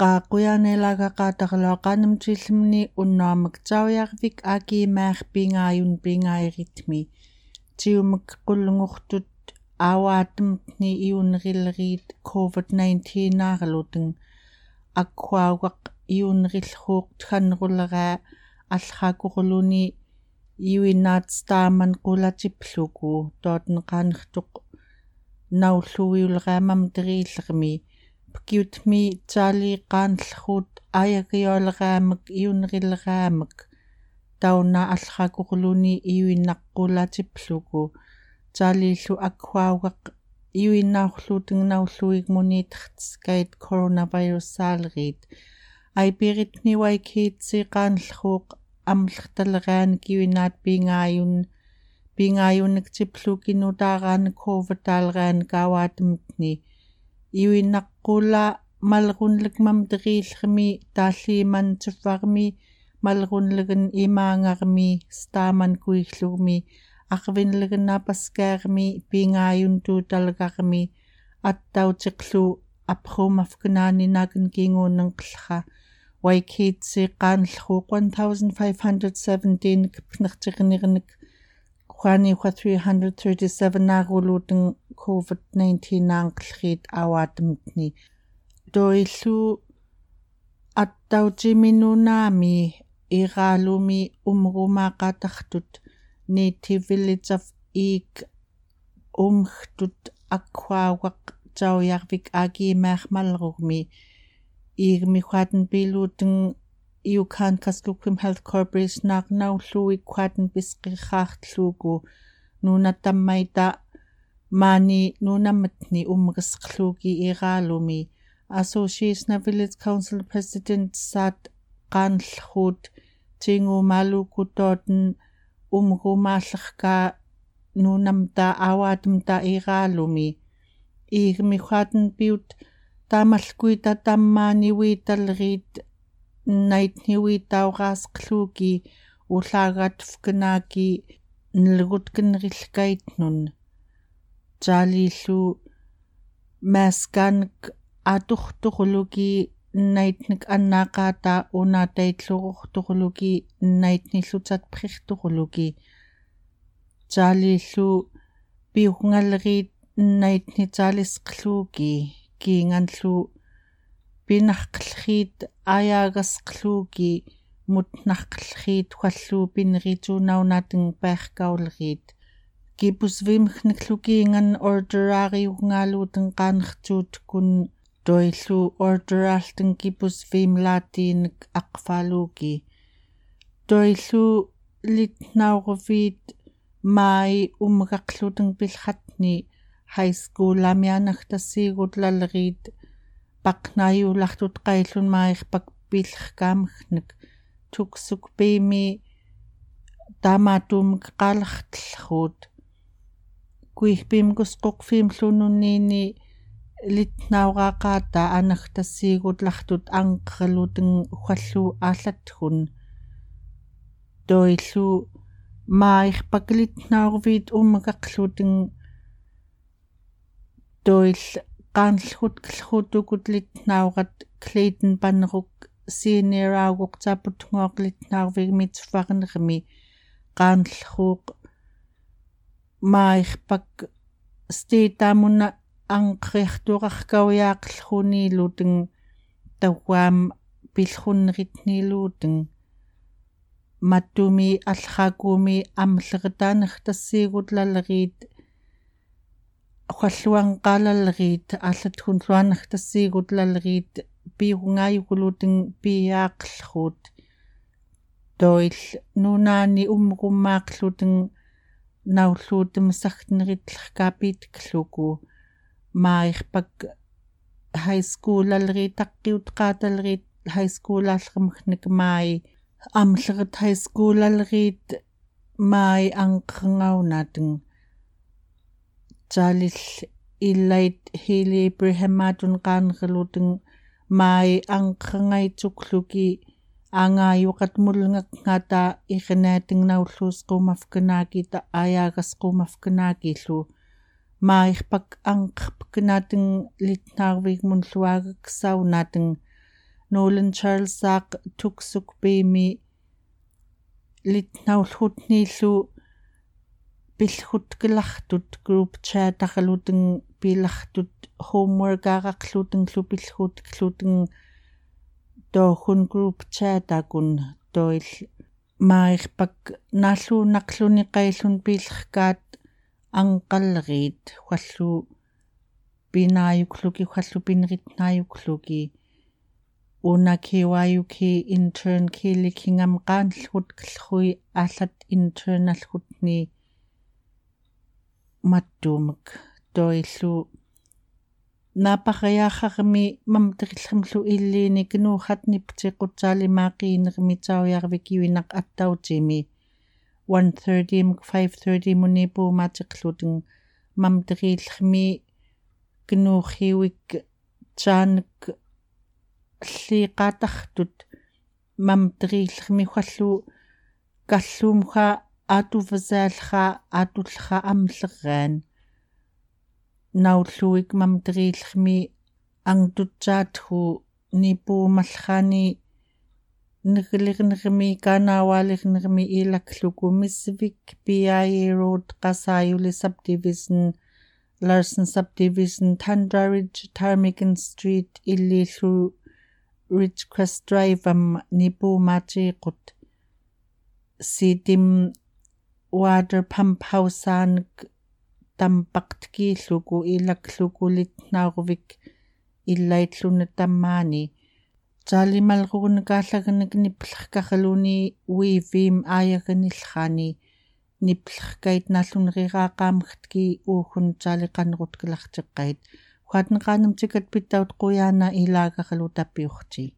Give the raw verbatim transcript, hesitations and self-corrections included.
Ka kuyanelagaqataqluaq kanemtillmni unnuamik Tsauyarvik Akimaaq Pingayun Pingairitmi. Tiumik qullngurtut auaatmtni iunrillriit covid nineteen-arluting. Akkuaugaq iunrillruuq tganrulra allrakurluni iuinaat staaman qulatipluguu, tootn qaanrtuq naulluiulra mamdriillrmi. Pkiutmi Tsalii qaanllruut ayagiolraamek iunrillraamek tauna allrakurluni iuinaq qulatipluguu. Tsalillu akkuaugaq iuinaurluuting naulluigmuniitertskait coronavirus-saalriit. Aipiritmi Waikitsi qaanllruuq amlrtalraanik iuinaat Pingayun, Pingayunik tiplugi nutaaraanik covid-taalraanik auaatmtni. Iuinaq qula malrunlek mamdriillrmi, taalliiman tuvvarmi, malrunlegen imaangarmi, staaman kuigglugmi, arvinlegen napaskaarmi, Pingayun tuutalgarmi, attautiqlu apprumafknaani naken kingunerngqlra. Waikitsi qaanllruuq one thousand five hundred seventeen-ik pnertirnirnik, uani ukua three hundred thirty-seven-aruluting covid nineteen-anqlriit auaatmtni. Toillu attautimi nunaami Iraalumi umgumaaqataqtut Native Village of Iik umgtut akkuaugaq Tsauyarvik Akimaaq malrugmi. Iigmi uaatnpiluuting Yukon Kuskokwim Health Corporation-aq naulluuik uaatnpisqirraaqtlugu nunat tammaita maani nunamtni umgesqlugi Iraalumi. Association of Village Council President-saat qaanllruut tingumaluku tootn umgumaallerka nunamta auaatmta Iraalumi. Iigmi uaatnpiut tamallkuita tammaaniuitalriit nnaitniuitauraasqlugi ullaagatvknaaki nlgutkenrillkaitnun. Tsalillu maaskanik aturturlugi nnaitnik annaaqata unataitlururturlugi nnaitni llutatprirturlugi. Tsalillu piugngalriit nnaitni tsalisqlugi, kiinganllu pinarqlriit ayaagasqlugi mutnarqlriit uallu pinritunaunating piarkaulriit. Kipusviimkniklu kiingan order-ariugngaluuting qaanrtuutkun, toillu order-alting kipusviimlaatiinik aqfalugi. Toillu litnaurviit mai umgaqluting pilqatni high school-ami anagtassiigutlalriit paqnaiulaqtut qaillun mairpaq pilqkaamknik tuksuk piimi tamatumik qalaqtlruut. Kuigpiim kusquqviimlu nunini litnauraqata anagtassiigutlaqtut anqerluting uallu aallatkun. Toillu mairpaq litnaurviit umgaqluting. Toill qaanllrut klrutukut litnaurat Clayton Panruk senior-auguq saputngooq litnaurvigmi tuvvarnermi qaanllruuq mairpaq state-amun anqeriaqturaqkauyaaqlruniluting tauam pilrunritniluting. Matumi allaqumi amleret anagtassiigutlalriit uallu anqalalriit allatkunlu anagtassiigutlalriit piugngaayukluting piaaqlruut. Toill nunani umgumaaqluting naulluutem saktneritlrkapitklugu mairpaq high school-alriit taqqiutqatalriit high school-allrmeknik mai amleret high school-alriit mai anqerngaunateng. Tsalil Ilait Hili Ibrahim-atun qaanrluting mai anqerngaitsuklugi angayuqat mulngakngata iqinateng naulluusqumafknaakit ayaagasqumafknaakillu. Mairpaq anqerpknateng litnaurvigmun luaagaksaunateng Nolan Charles ak tuksuk pimi litnaulhutnilu pilhutkilahtut group chat akaluteng pilahtut homework akaklutenglupilhutkluteng tohun group chat akun toil mairpak nalunaqluni qailun pilhkat angqalrit huallu pinayukluki huallu pinritnayukluki. Una kiwayuki intern kilikingam qanlhut klhui alat intern alhutni mattumak toilu. Napaqayaxarmi mamterilhemlu ilini knuhat niptiqutsalimaqinirmi tsauyarvik iwinaq attautimi. One thirty muk five thirty muni pumatiqluting mamterilhmi knuhiwik tsanek lhiqatahtut mamterilhmi huallu kallumha atuvzalha atullha amlraan. Naulluik mamterilhmi angtutsaathu nipumalhani niglirnirmi kanawalirnirmi ilakluku misvik P I A Road Qasayuli Subdivision Larsen Subdivision Tundra Ridge Ptarmigan Street illilu Ridgecrest Drive am nipumatiqut. Sitim water pump hausaank tampaqtkiluku ilakluku litnaurvik illaitlun tammani. Tsalimalruknk allagnk niplhkahluni wivim ayagnilhani niplhkait nallunriraqamktki uhun tsaliqanrutklahtiqait. Huatnqanem tikat pitaut quyana ilagahlutapiuhti.